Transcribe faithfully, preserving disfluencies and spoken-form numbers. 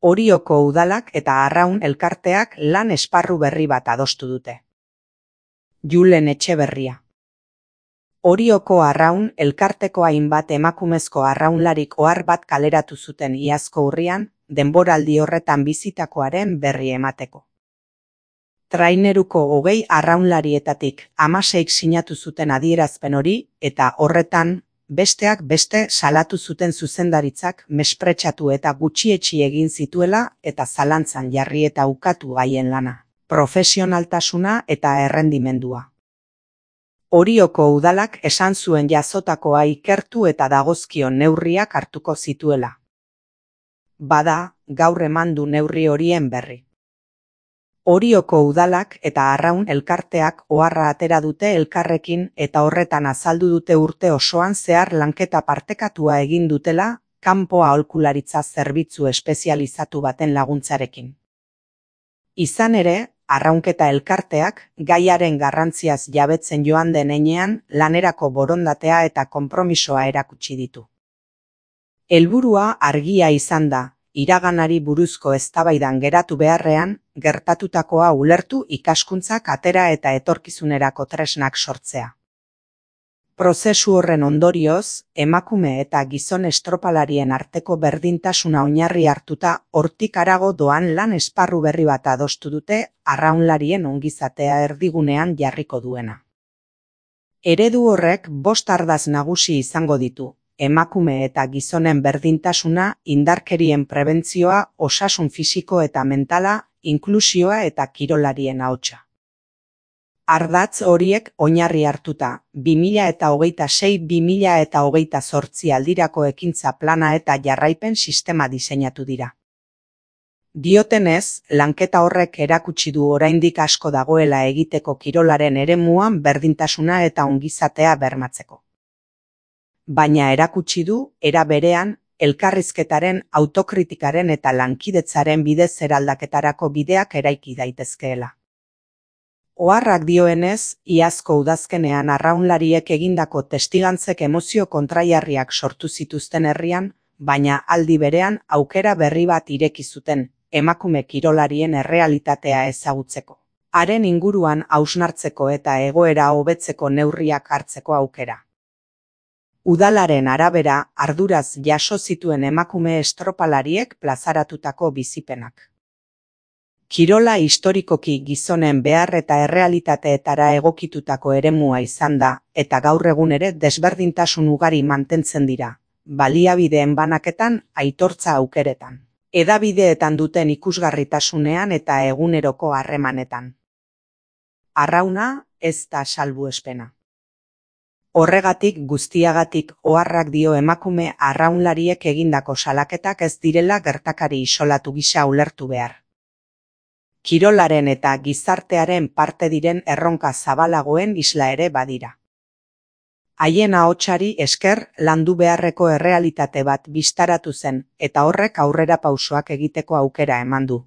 Orioko udalak eta Arraun elkarteak lan esparru berri bat adostu dute. Julen Etxeberria. Orioko Arraun elkarteko hainbat emakumezko arraunlarik ohar bat kaleratu zuten iazko urrian, denboraldi horretan bizitakoaren berri emateko. Traineruko hogei arraunlarietatik hamaseik sinatu zuten adierazpen hori eta horretan, besteak beste salatu zuten zuzendaritzak mespretxatu eta gutxietsi egin zituela eta zalantzan jarri eta ukatu haien lana, profesionaltasuna eta errendimendua. Orioko udalak esan zuen jazotakoa ikertu eta dagozkion neurriak hartuko zituela. Bada, gaur eman du neurri horien berri. Orioko udalak eta Arraun elkarteak oharra atera dute elkarrekin eta horretan azaldu dute urte osoan zehar lanketa partekatua egin dutela, kanpo aholkularitza zerbitzu espezializatu baten laguntzarekin. Izan ere, arraunketa elkarteak gaiaren garrantziaz jabetzen joan den heinean lanerako borondatea eta konpromisoa erakutsi ditu. Helburua argia izan da, iraganari buruzko eztabaidan geratu beharrean, gertatutakoa ulertu ikaskuntzak atera eta etorkizunerako tresnak sortzea. Prozesu horren ondorioz, emakume eta gizon estropalarien arteko berdintasuna oinarri hartuta hortik harago doan lan esparru berri bat adostu dute arraunlarien ongizatea erdigunean jarriko duena. Eredu horrek bost ardatz nagusi izango ditu. Emakume eta gizonen berdintasuna, indarkerien prebentzioa, osasun fisiko eta mentala, inklusioa eta kirolarien ahotsa. Ardatz horiek oinarri hartuta, bi mila hogeita sei bi mila hogeita zortzi aldirako ekintza plana eta jarraipen sistema diseinatu dira. Diotenez, lanketa horrek erakutsi du oraindik asko dagoela egiteko kirolaren eremuan berdintasuna eta ongizatea bermatzeko. Baina erakutsi du, era berean, elkarrizketaren, autokritikaren eta lankidetzaren bidez eraldaketarako bideak eraiki daitezkeela. Oharrak dioenez, iazko udazkenean arraunlariek egindako testigantzek emozio kontraiarriak sortu zituzten herrian, baina aldi berean aukera berri bat ireki zuten, emakume kirolarien errealitatea ezagutzeko. Haren inguruan hausnartzeko eta egoera hobetzeko neurriak hartzeko aukera. Udalaren arabera, arduraz jaso zituen emakume estropalariek plazaratutako bizipenak. Kirola historikoki gizonen behar eta errealitateetara egokitutako eremua izan da, eta gaur egun ere desberdintasun ugari mantentzen dira, baliabideen banaketan, aitortza aukeretan, hedabideetan duten ikusgarritasunean eta eguneroko harremanetan. Arrauna ez da salbuespena. Horregatik guztiagatik oharrak dio emakume arraunlariek egindako salaketak ez direla gertakari isolatu gisa ulertu behar. Kirolaren eta gizartearen parte diren erronka zabalagoen isla ere badira. Haien ahotsari esker landu beharreko errealitate bat bistaratu zen eta horrek aurrera pausoak egiteko aukera eman du.